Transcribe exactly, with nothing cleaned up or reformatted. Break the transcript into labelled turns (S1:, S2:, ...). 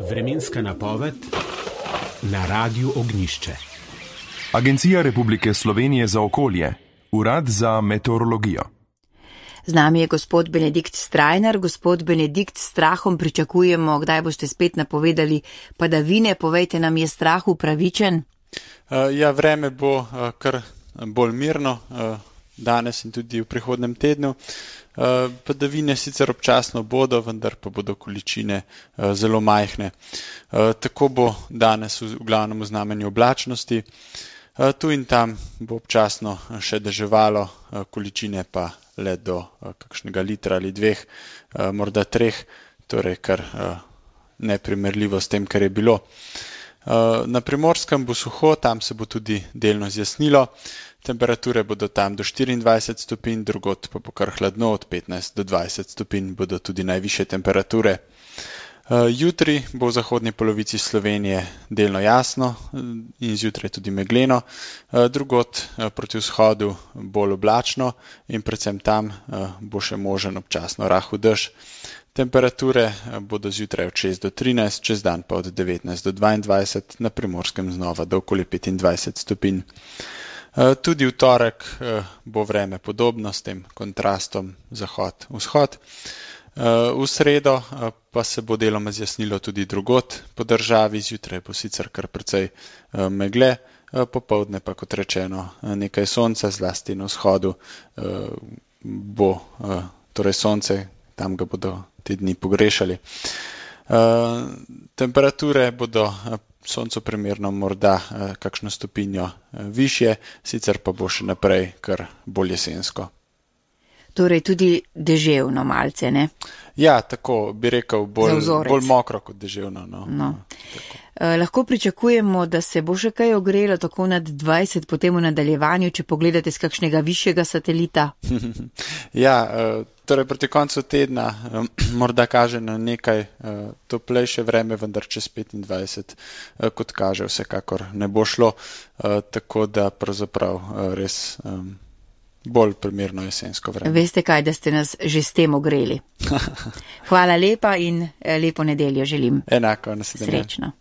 S1: Vremenska napoved na Radiu Ognjišče.
S2: Agencija Republike Slovenije za okolje, Urad za meteorologijo.
S3: Z nami je gospod Benedikt Strajnar. Gospod Benedikt, s strahom pričakujemo, kdaj boste spet napovedali padavine. Povejte nam, je strah upravičen?
S4: Ja, vreme bo kar bolj mirno danes in tudi v prihodnem tednu. Padavine sicer občasno bodo, vendar pa bodo količine zelo majhne. Tako bo danes v glavnem v znamenju oblačnosti. Tu in tam bo občasno še deževalo, količine pa le do kakšnega litra ali dveh, morda treh, torej kar neprimerljivo s tem, kar je bilo. Na Primorskem bo suho, tam se bo tudi delno zjasnilo. Temperature bodo tam do štiriindvajset stopinj, drugod pa bo kar hladno, od petnajst do dvajset stopinj bodo tudi najvišje temperature. Jutri bo v zahodni polovici Slovenije delno jasno in zjutraj tudi megleno, drugod proti vzhodu bolj oblačno in predvsem tam bo še možen občasno rahel dež. Temperature bodo zjutraj od šest do trinajst, čez dan pa od devetnajst do dvaindvajset, na Primorskem znova do okoli petindvajset stopinj. Tudi v torek bo vreme podobno s tem kontrastom zahod-vzhod. V sredo pa se bo deloma zjasnilo tudi drugod po državi, zjutraj bo sicer kar precej megle, popoldne pa, kot rečeno, nekaj sonca, zlasti na vzhodu bo torej sonce, tam ga bodo te dni pogrešali. Temperature bodo soncu primerno morda kakšno stopinjo višje, sicer pa bo še naprej kar bolj jesensko.
S3: Torej tudi deževno malce, ne?
S4: Ja, tako bi rekel, bolj, bolj mokro kot deževno. No.
S3: No. Eh, lahko pričakujemo, da se bo še kaj ogrelo tako nad dvajset potem v nadaljevanju, če pogledate z kakšnega višjega satelita.
S4: Ja, torej proti koncu tedna morda kaže na nekaj toplejše vreme, vendar čez petindvajset, kot kaže, vsekakor ne bo šlo, tako da pravzaprav res bolj primerno jesensko vreme.
S3: Veste kaj, da ste nas že s tem ogreli. Hvala lepa in lepo nedeljo želim.
S4: Enako, naslednje.
S3: Srečno.